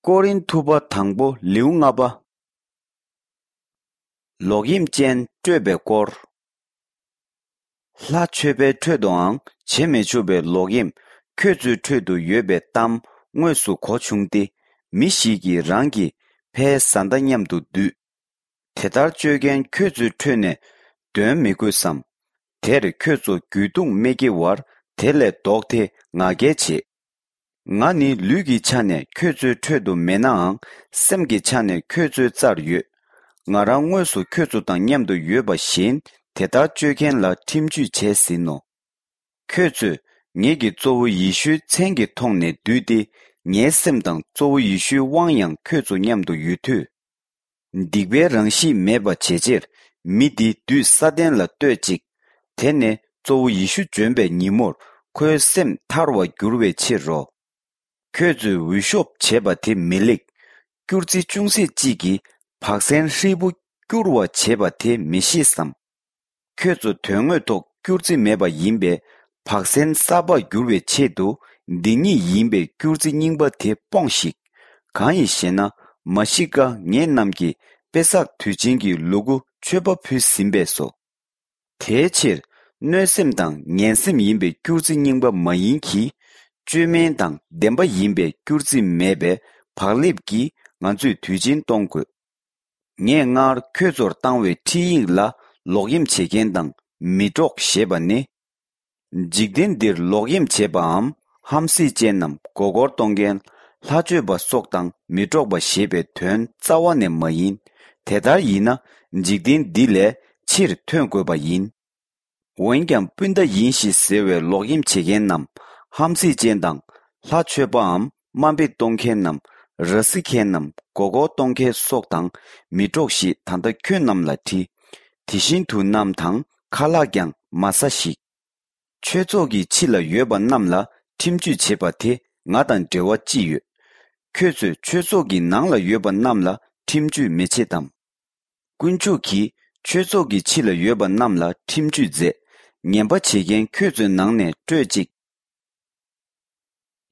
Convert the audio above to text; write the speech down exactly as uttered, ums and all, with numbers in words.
ཀོ་རིན་ཐུ་པ་དང་པོ་ལེའུ་ལྔ་པ། ལོག་གཡེམ་ཅན་སྤྲོད་པའི་སྐོར། ལྷ་མཆོད་པའི་ཁྲོད་དུའང་བྱེད་མི་ཆོག་པའི་ལོག་གཡེམ་ཁྱོད་ཚོའི་ཁྲོད་དུ་ཡོད་པའི་གཏམ་དངོས་སུ་གོ་བྱུང་སྟེ། མི་ཞིག་གིས་རང་གི་ཕའི་བཟའ་ཟླ་མཉམ་དུ་འདུས། དེ་ལྟར་སྤྱོད་མཁན་ཁྱོད་ཚོའི་ཁྲོད་ནས་འདོན་མི་དགོས་སམ། དེར་ཁྱོད་ཚོ་རྒྱུད་དུང་མི་སྐྱེ་བར་དེ་ལས་ལྡོག་སྟེ་ང་རྒྱལ་བྱེད། ང་ནི་ལུས་ཀྱི་ཆ་ནས་ཁྱོད་ཚོའི་ཁྲོད་དུ་མེད་ནའང་སེམས་ཀྱི་ཆ་ནས་ཁྱོད་ཚོའི་རྩར་ཡོད། ང་རང་དངོས་སུ་ཁྱོད་ཚོ་དང་མཉམ་དུ་ཡོད་པ་བཞིན་དེ་ལྟར་སྤྱོད་མཁན་ལ་ཁྲིམས་གཅོད་བྱས་ཟིན་ནོ། ཁྱོད་ཚོས་ངེད་ཀྱི་གཙོ་བོ་ཡེ་ཤུའི་མཚན་གྱི་ཐོག་ནས་འདུས་ཏེ། ངའི་སེམས་དང་གཙོ་བོ་ཡེ་ཤུའི་དབང་ཡང་ཁྱོད་ཚོ་མཉམ་དུ་ཡོད་དུས། སྡིག་པའི་རང་གཤིས་མེད་པ་བྱེད་ཕྱིར་མི་འདི་བདུད་ས་ཏན་ལ་གཏོད་ཅིག། དེ་ནས་གཙོ་བོ་ཡེ་ཤུ་འབྱོན་པའི་ཉིན་མོར་ཁོའི་སེམས་ཐར་བར་འགྱུར་བའི་ཕྱིར་རོ། ཁྱོད་ཚོས་འུད་ཤོབ་བྱས་པ་དེ་མི་ལེགས། སྐྱུར་རྩི་ཅུང་ཟད་ཅིག་གིས་བག་ཟན་ཧྲིལ་པོ་སྐྱུར་བ་བྱེད་པ་དེ་མི་ཤེས་སམ། ཁྱོད་ཚོ་དོན་དངོས་ཐོག་སྐྱུར་རྩི་མེད་པ་ཡིན་པས། བག་ཟན་གསར་པར་འགྱུར་བའི་ཆེད་དུ་འདི་ཉིད་ཡིན་པའི་སྐྱུར་རྩི་རྙིང་པ་དེ་སྤོངས་ཤིག། གང་ཡིན་ཞེ་ན། མ་ཤི་ཀ་ངེད་རྣམས་ཀྱི་པེ་སག་དུས་ཆེན་གྱི་ལུ་གུ་མཆོད་པ་ཕུལ་ཟིན་པས་སོ། དེའི་ཕྱིར་གནོད་སེམས་དང་ངན་སེམས་ཡིན་པའི་སྐྱུར་རྩི་རྙིང་པ་མ་ཡིན་གྱི། བཅོས་མིན་དང་བདེན་པ་ཡིན་པའི་སྐྱུར་རྩི་མེད་པའི་བག་ལེབ་ཀྱིས་ང་ཚོས་དུས་ཆེན་གཏོང་དགོས། ངས་སྔར་ཁྱོད་ཚོར་བཏང་བའི་ཁྲིད་ཡིག་ལ་ལོག་གཡེམ་བྱེད་མཁན་དང་མི་འགྲོགས་ཞེས་པ་ནི། འཇིག་རྟེན་འདིར་ལོག་གཡེམ་བྱེད་པའམ་ཧམ་སྲེ་ཅན་ནམ་མགོ་སྐོར་གཏོང་མཁན། ལྷ་མཆོད་པ་སོགས་དང་མི་འགྲོགས་པ་ཞེས་པའི་དོན་རྩ་བ་ནས་མ་ཡིན། དེ་ལྟར་ཡིན་ན་འཇིག་རྟེན་འདི་ལས་ཕྱིར་ཐོན་དགོས་པ་ཡིན། འོན་ཀྱང་སྤུན་ཟླ་ཡིན་ཞེས་ཟེར་བའི་ལོག་གཡེམ་བྱེད་མཁན་ནམ་ཧམ་སྲེ་ཅན་དང་། ལྷ་མཆོད་པའམ་དམའ་འབེབས་གཏོང་མཁན་ནམ་ར་བཟི་མཁན་ནམ་མགོ་སྐོར་གཏོང་མཁན་སོགས་དང་མི་འགྲོགས་ཞེས་ད་ལྟ་ཁྱོད་རྣམས་ལ་བྲིས། དེ་བཞིན་དུ་གནམ་དང་ཁ་ལག་ཀྱང་མ་ཟ་ཞིག། ཆོས་ཚོགས་ཀྱི་ཕྱི་ལ་ཡོད་པ་རྣམས་ལ་ཁྲིམས་གཅོད་བྱེད་པ་དེ་ང་དང་འབྲེལ་བ་ཅི་ཡོད། ཁྱོད་ཚོས་ཆོས་ཚོགས་ཀྱི་ནང་ལ་ཡོད་པ་རྣམས་ལ་ཁྲིམས་གཅོད་མི་བྱེད་དམ། དཀོན་མཆོག་གིས་ཆོས་ཚོགས་ཀྱི་ཕྱི་ལ་ཡོད་པ་རྣམས་ལ་ཁྲིམས་གཅོད་མཛད། ངན་པ་བྱེད་མཁན་ཁྱོད་ཚོའི་ནང་ནས་སྤྲོད་ཅིག།